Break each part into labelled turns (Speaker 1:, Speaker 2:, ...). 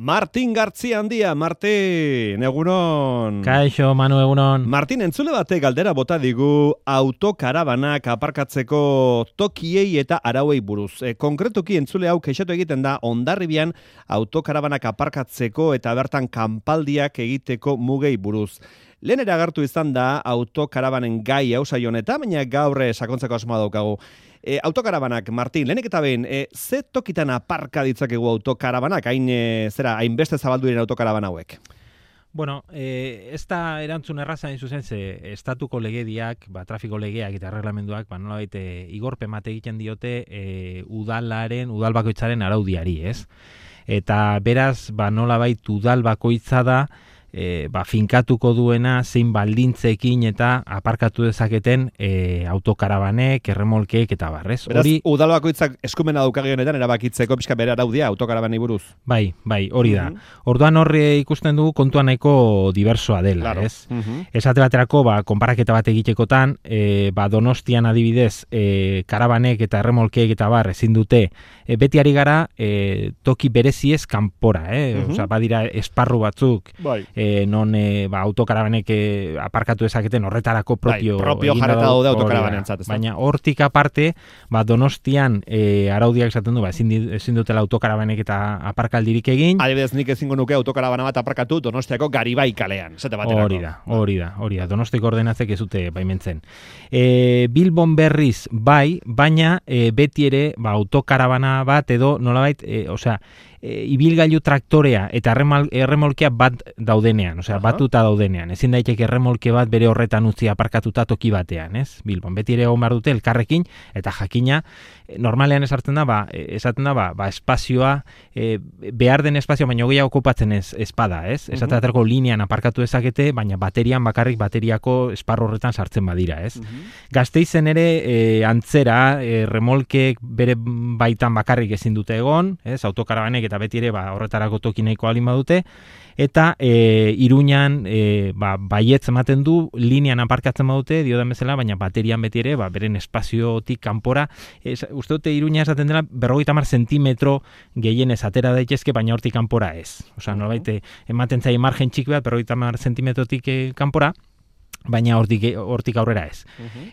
Speaker 1: Martin Gartzia handia, Martin, egunon.
Speaker 2: Kaixo, Manu, egunon.
Speaker 1: Martin, entzule batek galdera bota digu autokarabanak aparkatzeko tokiei eta arauei buruz. Konkretuki entzule hau kexatu egiten da Hondarribian autokarabanak aparkatzeko eta bertan kanpaldiak egiteko mugei buruz. Lehen agertu izan da autokarabanen gai hau saio honetan, baina gaur sakontzeko asmoa daukagu. Autokarabanak, Martin, lehenik eta behin, ze tokitan aparka ditzakegu autokarabanak, hainbeste zabaldu diren autokaraban hauek?
Speaker 2: Bueno, ez da erantzun erraza hain zuzen, ze estatuko legediak, trafiko legeak eta erreglamenduak, nolabait igorpen bat egiten diote udal bakoitzaren araudiari, ez? Eta beraz, nolabait udal bakoitza da, finkatuko duena zein baldintzekin eta aparkatu dezaketen autokarabanek, erremolkeek eta barrez.
Speaker 1: Beraz, udal bakoitzak eskumena daukagi honetan erabakitzeko pixka bere araudia autokarabanei buruz.
Speaker 2: Bai, hori da. Orduan horre ikusten dugu kontua nahiko diversoa dela,
Speaker 1: claro.
Speaker 2: Ez? Esate baterako, konparaketa bat egitekotan, Donostian adibidez, karabanek eta erremolkeek eta ezin dute, beti ari gara toki bereziez kanpora, Osea, badira esparru batzuk,
Speaker 1: bai.
Speaker 2: Non autokarabanek aparkatu dezaketen horretarako propio
Speaker 1: jarreta daude autokarabanentzat.
Speaker 2: Baina hortik aparte, Donostian araudiak esaten du, ezin dutela autokarabanek eta aparkaldirik egin.
Speaker 1: Adibidez, nik ezingo nuke autokarabana bat aparkatu Donostiako Garibai kalean.
Speaker 2: Hori da. Donostiako ordenatzek ez dute baimentzen. Bilbon berriz bai, baina beti ere autokarabana bat edo nolabait, ibilgailu traktorea eta erremolkea bat daudenean, batuta daudenean. Ezin daiteke erremolke bat bere horretan utzi aparkatuta toki batean, ez? Bilbon beti ere egon behar dute elkarrekin eta jakina normalean esaten da espazioa behar den espazio baino gehiago okupatzen espada, ez? Esaterako linean aparkatu dezakete, baina baterian bakarrik bateriako esparru horretan sartzen badira, ez? Gasteizen ere antzera remolkeek bere baitan bakarrik ezin dute egon, ez? Autokarabanek eta beti ere horretarako toki nahiko alin badute, eta Iruñan baietz ematen du, linean aparkatzen badute, diodan bezala, baina baterian beti ere, beren espaziotik kanpora, uste dute Iruña esaten dela, 50 zentimetro gehienez atera daitezke, baina hortik kanpora ez. Osea, nolabait, ematen zaie margen txiki bat, 50 zentimetrotik kanpora, baina hortik aurrera ez.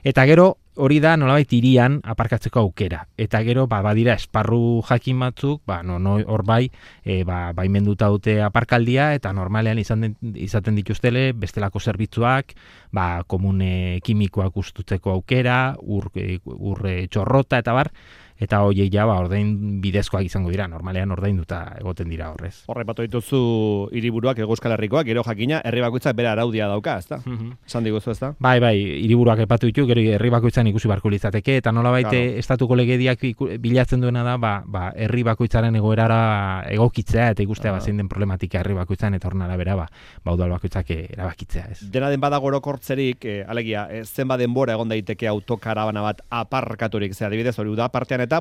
Speaker 2: Eta gero, hori da nolabait hirian aparkatzeko aukera. Eta gero, badira esparru jakin batzuk, hor baimenduta dute aparkaldia, eta normalean izaten dituztele bestelako zerbitzuak, komune kimikoak ustutzeko aukera, ur txorrota eta bar, eta horiek ordain bidezkoak izango dira, normalean ordainduta egoten dira horrez.
Speaker 1: Horre batu dituzu hiriburuak, Euskal Herrikoak, gero jakina, herri bakoitzak bere araudia dauka, ezta? Esan diguzu, ezta?
Speaker 2: Bai, hiriburuak epatu ditu, gero herri bakoitzan ikusi barko litzateke, eta nolabait estatuko legediak bilatzen duena da, herri bakoitzaren egoerara egokitzea, eta ikustea zein den problematika herri bakoitzan, eta horren arabera, udal bakoitzak erabakitzea, ez? Dena
Speaker 1: den badago orokortzerik, alegia, zenba denbora egon daiteke autokarabana bat aparkaturik, adibidez hori uda partean eta,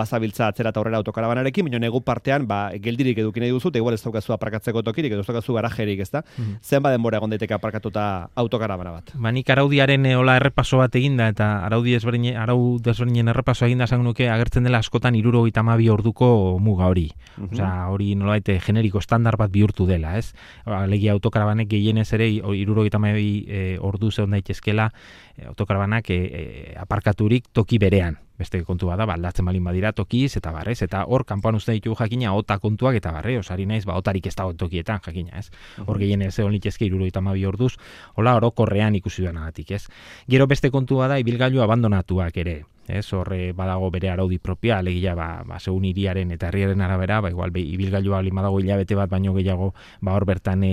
Speaker 1: bazabiltza atzera eta horrela autokarabanarekin, baina negu partean, geldirik edukin nahi duzu, eta igual ez daukazu aparkatzeko tokirik, ez daukazu garajerik, ezta? Zenba denbora egon daiteke aparkatuta autokarabana bat?
Speaker 2: Nik araudiaren errepaso bat eginda, eta arau desberdinen errepaso eginda esan nuke agertzen dela askotan 72 orduko muga hori. Osea, hori nolabait generiko estandar bat bihurtu dela, ez? Alegia autokarabanek gehienez ere 72 ordu zeon daitezkela autokarabanak aparkaturik toki berean. Beste kontu bada, aldatzen balin badira tokiz eta barrez, eta hor kanpoan uste ditugu jakina ota kontuak eta barre, osari naiz, otarik ez dago tokietan jakina, ez? Hor gehienez egon litezke 72 orduz, hola orokorrean ikusi duenagatik, ez? Gero beste kontu bada ibilgailu abandonatuak ere, ez? Horre badago bere araudi propia, alegia segun hiriaren eta herriaren arabera, igual ibilgailua balin badago hilabete bat baino gehiago, hor bertan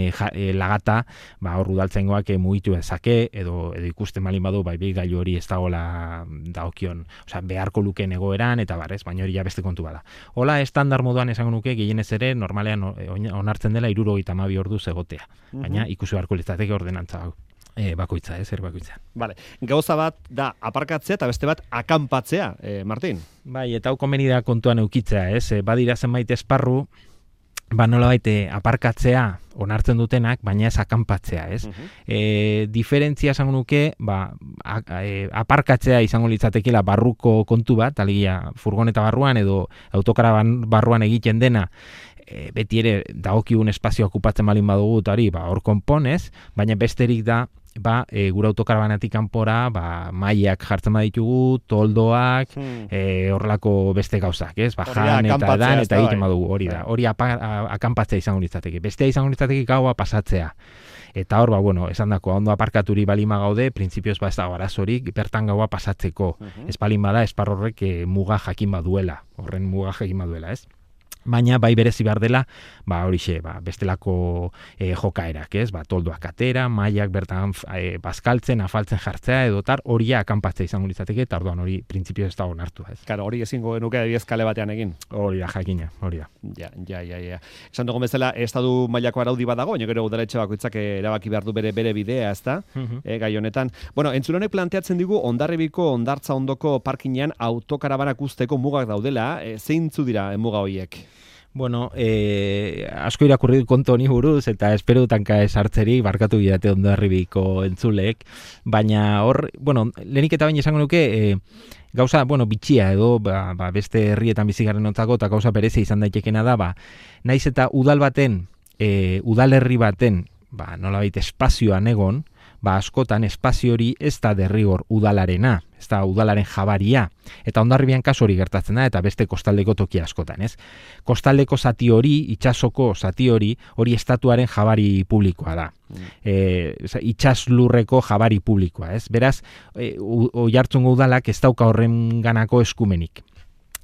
Speaker 2: lagata, hor udaltzaingoak mugitu dezake edo ikusten balin badu ibilgailu hori ez dagoela dagokion, osea beharko lukeen egoeran eta barrez, baina hori beste kontu bada. Hola, estandar moduan esango nuke gehienez ere normalean onartzen dela 72 orduz egotea, baina ikusi beharko litzateke ordenantza hau. Bakoitza, zer bakoitza.
Speaker 1: Vale. Gauza bat da aparkatzea eta beste bat akanpatzea, Martin.
Speaker 2: Bai, eta hau komeni da kontuan eukitzea, badira zenbait esparru, nolabait aparkatzea onartzen dutenak, baina ez akanpatzea, ez? Diferentzia esango nuke, aparkatzea izango litzatekeela barruko kontu bat, alegia furgoneta barruan edo autokaraban barruan egiten dena, beti ere dagokigun espazio okupatzen balin badugu eta hori, hor konponez, baina besterik da, gure autokarabanatik kanpora, mailak jartzen baditugu, toldoak, horrelako beste gauzak, ez? Jan eta edan eta egiten badugu, hori da. Hori akanpatzea izango litzateke. Bestea izango litzateke gaua pasatzea. Eta hor, esan dako, ondo aparkaturi balima gaude, printzipioz ez dago arazorik, bertan gaua pasatzeko. Ez balin bada, espar horrek muga jakin baduela, horren muga jakin baduela, ez? Baina bai berezi behar dela, horixe, bestelako jokaerak, ez? Toldoak atera, mailak bertan bazkaltzen, afaltzen jartzea edotar, hori akanpatzea izango litzateke, eta orduan hori printzipioz ez dago onartu, ez?
Speaker 1: Claro, hori ezingo genuke adibidez batean egin.
Speaker 2: Hori da, jakina, hori da.
Speaker 1: Ja. Esan dugun bezala, estatu mailako araudi bat dago, baina gero udaletxe bakoitzak erabaki behar du bere bidea, ezta? Gai honetan. Bueno, entzulonek planteatzen digu Hondarribiko Hondartza ondoko parkinean autokarabanak usteko mugak daudela, zeintzu dira muga horiek?
Speaker 2: Bueno, asko irakurri kontu honi buruz, eta espero dutanka esartzerik, barkatu bidate Hondarribiko entzuleek, baina hor, lehenik eta baina esango nuke, gauza, bitxia edo, beste herrietan bizigarren ontzako, eta gauza berezia izan daitekena da, naiz eta udalerri baten, nolabait espazioan egon, askotan espazio hori ez da derrigor udalarena, ez da udalaren jabaria, eta Hondarribian kasu hori gertatzen da, eta beste kostaldeko toki askotan, ez? Kostaldeko zati hori, itsasoko zati hori estatuaren jabari publikoa da. Itsaslurreko jabari publikoa, ez? Beraz, Oiartzungo udalak ez dauka horren ganako eskumenik.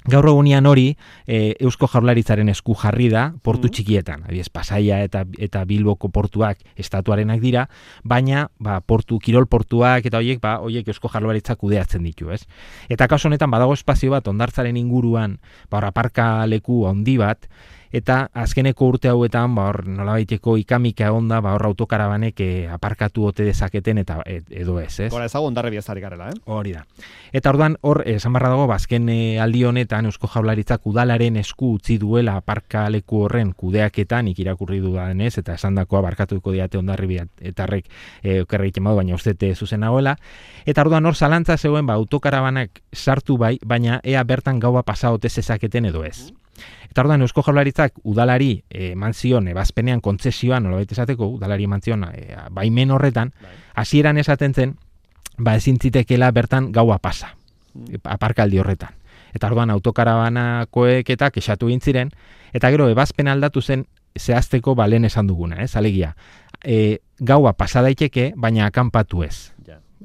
Speaker 2: Gaur egunean hori Eusko Jaurlaritzaren esku jarri da portu txikietan, adibidez Pasaia eta Bilboko portuak estatuarenak dira, baina kirol portuak eta horiek Eusko Jaurlaritzak kudeatzen ditu, ez? Eta kasu honetan badago espazio bat Hondartzaren inguruan, aparka leku handi bat, eta azkeneko urte hauetan nolabaiteko ikamika egonda hor autokarabanek aparkatu ote dezaketen eta edo ez.
Speaker 1: Gora ezago Hondarribia zari garela,
Speaker 2: Hori da. Eta orduan hor esan barra dago azken aldi honetan Eusko Jaurlaritzak udalaren esku utzi duela aparkaleku horren kudeaketan irakurri dudanez eta esandakoa barkatuko diate Hondarribia etarrek okerra egiten badu, baina ustete zuzen nagoela. Eta orduan hor zalantza zegoen autokarabanak sartu baina ea bertan gaua pasa ote zezaketen edo ez. Eta orduan Eusko Jaurlaritzak udalari eman zion ebazpenean kontzesioan, nolabait esateko, udalari eman zion baimen horretan, hasieran esaten zen, ezin zitekeela bertan gaua pasa, aparkaldi horretan. Eta orduan autokarabanakoek eta kexatu egin ziren, eta gero ebazpen aldatu zen zehazteko lehen esan duguna, alegia. Gaua pasa daiteke, baina akanpatu ez.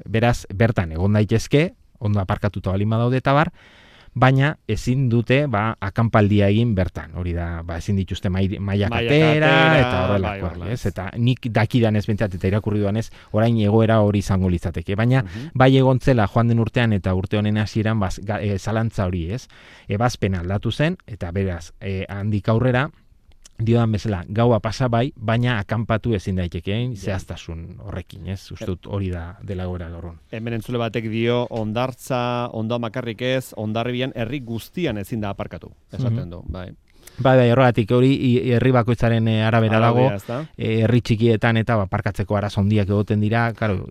Speaker 2: Beraz, bertan egon daitezke, ondo aparkatuta balin badaude eta bar, baina ezin dute akanpaldia egin bertan. Hori da, ezin dituzte mailak atera eta horrelakoak, ez? Eta nik dakidan ez bentzat eta irakurri duan ez, orain egoera hori izango litzateke. Baina bai egontzela joan den urtean eta urte honen hasieran zalantza hori, ez? Ebazpen aldatu zen, eta beraz, handik aurrera, diodan bezala, gaua pasa baina akanpatu ezin daitekeen zehaztasun horrekin, ez? Ustut hori da dela goera gaurun.
Speaker 1: Hemen entzule batek dio, Hondartza, Ondoa makarrik ez, Hondarribian herri guztian ezin da aparkatu, esaten du, bai.
Speaker 2: Bai, horregatik hori herri bakoitzaren arabera dago, herri txikietan eta aparkatzeko arazo handiak egoten dira, claro,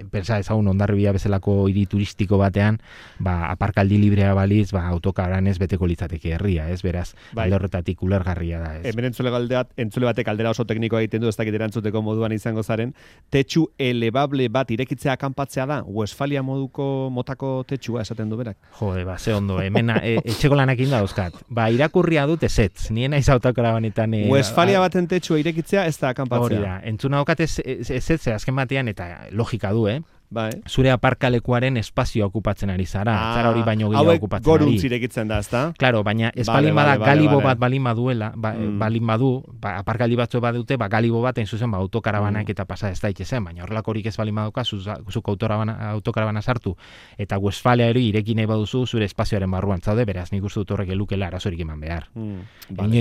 Speaker 2: pensa ezagun Hondarribia bezalako hiri turistiko batean, aparkaldi librea baliz, autokaranez beteko litzateke herria, ez? Beraz, alde horretatik ulergarria da, ez? Hemen
Speaker 1: entzule batek aldera oso teknikoa egiten du, ez dakit erantzuteko moduan izango zaren, tetxu elebable bat irekitzea akanpatzea da, Westfalia motako tetxua esaten du berak.
Speaker 2: Jode, ze ondo, hemen etxeko lanakin da dauzkat. Irakurria dut ezetz, nien aiz autokarabanetan...
Speaker 1: Westfalia baten tetxua irekitzea ez da akanpatzea.
Speaker 2: Hori da, entzuna daukat ezetz azken batean eta logika du,
Speaker 1: Bai.
Speaker 2: Zure aparkalekuaren espazioa okupatzen ari zara, zara hori baino gehiago okupatzen ari.
Speaker 1: Hauek goruntz irekitzen da, ezta?
Speaker 2: Claro, baina ez balin bada galibo bat balin baduela, balin badu, aparkaldi batzu badute, galibo bat zuzen autokarabanak eta pasa ez daitezen, baina horrelakorik ez balin baduka, zuk autokarabana sartu, eta Westfalia hori irekin nahi baduzu zure espazioaren barruan zaude, beraz nik uste dut horrek elukela arazorik eman behar.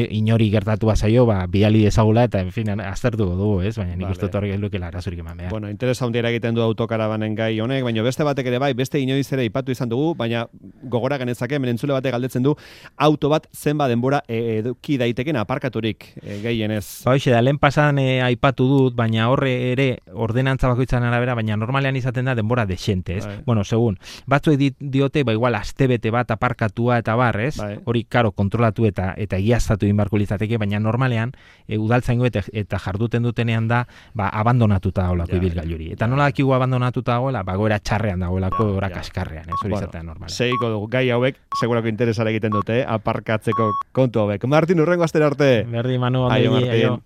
Speaker 2: Inori gertatu bazaio, bidali dezagula, eta en fin, aztertuko dugu, ez? Baina nik uste dut horrek elukela arazorik eman behar.
Speaker 1: Bueno, interesa handia egiten du autokarabana zemanen gai honek, baina beste batek ere bai, beste inoiz ere ipatu izan dugu, baina gogora genezake, entzule batek galdetzen du, auto bat zenba denbora eduki daiteken aparkaturik gehienez.
Speaker 2: Ba, hoxe da, lehen pasan aipatu dut, baina horre ere ordenantza bakoitzaren arabera, baina normalean izaten da denbora desente, ez?
Speaker 1: Bai.
Speaker 2: Bueno, segun, batzuek diote, ba, igual, astebete bat aparkatua eta bar, ez?
Speaker 1: Bai.
Speaker 2: Hori, karo, kontrolatu eta egiaztatu inbarko litzateke, baina normalean, udaltzaingo eta jarduten dutenean da, ba, abandonatuta dagoelako ibilgailuri. Eta nola dakigu abandonatuta dagoela, ba, goera txarrean dagoelako, ora kaskarrean, ez? Hori izatea normalean.
Speaker 1: Seiko dugu, gai hauek, segurako interesara egiten dute, aparkatzeko kontu hauek. Martin, urrengo astera arte.
Speaker 2: Berdi, Manu, ondo.